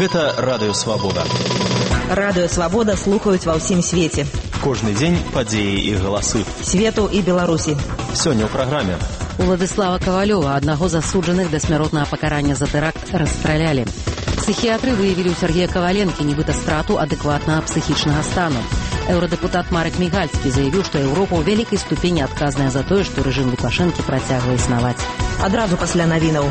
Гэта Радыё Свабода. Радыё Свабода слухаюць ва ўсім свеце. Кожны дзень падзеі і галасы. Свету і Беларусі. Сёння ў праграме. Уладыслава Кавалёва, аднаго з асуджаных да смяротнага пакарання за тэракт, расстралялі. Псіхіатры выявілі ў Сергея Каваленкі нібыта страту адэкватнага псіхічнага стану. Еўрадэпутат Марек Мігальскі заявіў, што Еўропа ў вялікай ступені адказная за тое, што рэжым Лукашэнкі працягвае існаваць. Адразу пасля навінаў.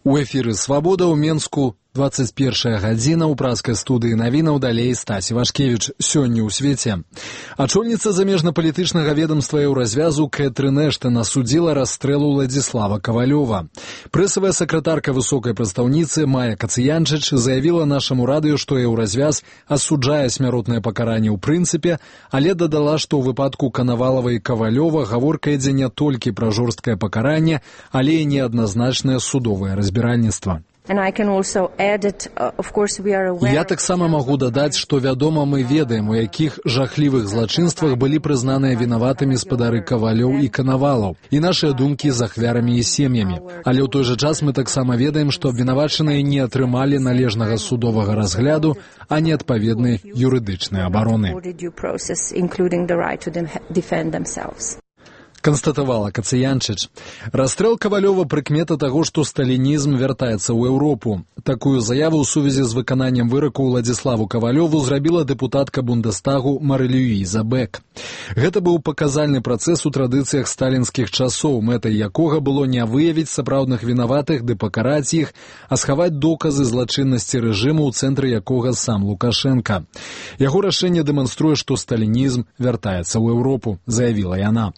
У эфіры «Свабода» ў Менску 21 гадзіна ў праскай студыі навінаў, далей Стасі Вашкевіч. Сёння ў свеце. Ачольніца замежнапалітычнага ведамства Еўразвязу Кэтрын Эштан асудзіла расстрэл Уладзіслава Кавалёва. Прэсавая сакратарка высокай прадстаўніцы Майя Кацыянчыч заявіла нашаму радыё, што Еўразвяз асуджае смяротнае пакаранне ў прынцыпе, але дадала, што ў выпадку Канавалава і Кавалёва гаворка ідзе не толькі пра жорсткае пакаранне, але і неадназначнае судовае разбіральніцтва. Я таксама магу дадаць, што вядома, мы ведаем, у якіх жахлівых злачынствах былі прызнаныя вінаватымі спадары Кавалёў і Канавалаў, і нашыя думкі з ахвярамі і сем'ямі. Але ў той жа час мы таксама ведаем, што абвінавачаныя не атрымалі належнага судовага разгляду, а не адпаведнай юрыдычнай абароны. Канстатавала Кацыянчыч. Расстрэл Кавалёва прыкмета таго, што сталінізм вяртаецца ў Еўропу. Такую заяву ў сувязі з выкананнем выраку Уладзіславу Кавалёву зрабіла дэпутатка Бундестагу Мары-Люіза Бек. Гэта быў паказальны працэс у традыцыях сталінскіх часоў, мэтай якога было не выявіць сапраўдных вінаватых ды пакараць іх, а схаваць доказы злачыннасці рэжыму, ў цэнтры якога сам Лукашенка. Яго рашэнне дэманструе, што сталінізм вяртаецца ў Еўропу, заявіла яна.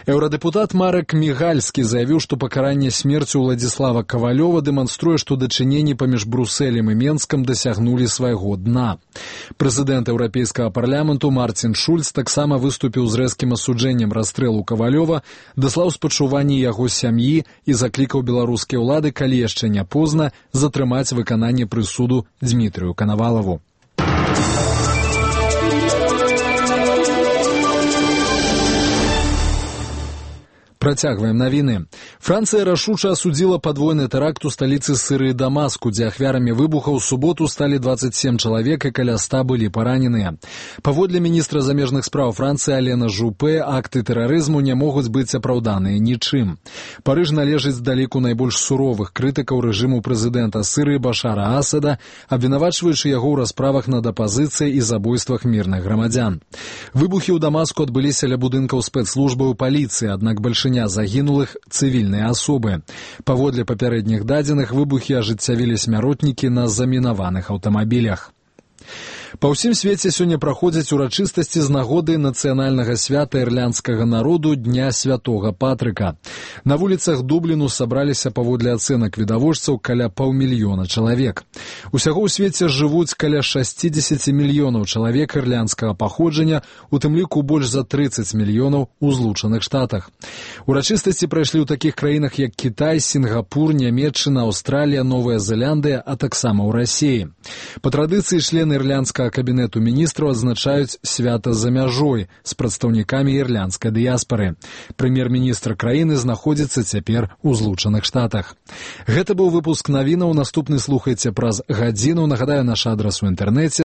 Еўрадэпутат Марек Мігальскі заявіў, што пакаранне смерцю Уладзіслава Кавалёва дэманструе, што дачыненні паміж Брусэлем і Менскам дасягнулі свайго дна. Прэзідэнт Еўрапейскага парламенту Марцін Шульц таксама выступіў з рэзкім асуджэннем расстрэлу Кавалёва, даслаў спачуванні яго сям'і і заклікаў беларускія ўлады, калі яшчэ не позна, затрымаць выкананне прысуду Дзмітрыю Канавалаву. Працягваем навіны. Францыя рашуча асудзіла падвойны тэракт у сталіцы Сірыі Дамаску, дзе ахвярамі выбуха ў суботу сталі 27 чалавек і каля 100 былі параненыя. Паводле міністра замежных спраў Францыі Алена Жупе, акты тэрарызму не могуць быць апраўданыя нічым. Парыж належыць да ліку найбольш суровых крытыкаў рэжыму прэзідэнта Сірыі Башара Асада, абвінавачваючы яго ў расправах над апазіцыяй і забойствах мірных грамадзян. Выбухі ў Дамаску адбыліся ля будынкаў спецслужбаў паліцыі, аднак большинство загінулых цывільныя асобы. Паводле папярэдніх дадзеных, выбухі ажыццявілі смяротнікі на замінаваных аўтамабілях. Па ўсім свеце сёння праходзяць урачыстасці з нагоды нацыянальнага свята ірландскага народу Дня Святога Патрыка. На вуліцах Дубліну сабраліся паводле ацэнак відавочцаў каля 500 000 чалавек. Усяго ў свеце жывуць каля 60 мільёнаў чалавек ірландскага паходжання, у тым ліку больш за 30 мільёнаў у Злучаных Штатах. Урачыстасці прайшлі ў такіх краінах, як Кітай, Сінгапур, Нямецчына, Аўстралія, Новая Зеландыя, а таксама ў Расіі. Па традыцыі члены ірландскага кабінету міністраў адзначаюць свята за мяжой з прадстаўнікамі ірландскай дыяспары. Прэм'ер-міністр краіны знаходзіцца цяпер у Злучаных Штатах. Гэта быў выпуск навінаў. Наступны слухайце праз гадзіну. Нагадаю, наш адрас у інтэрнэце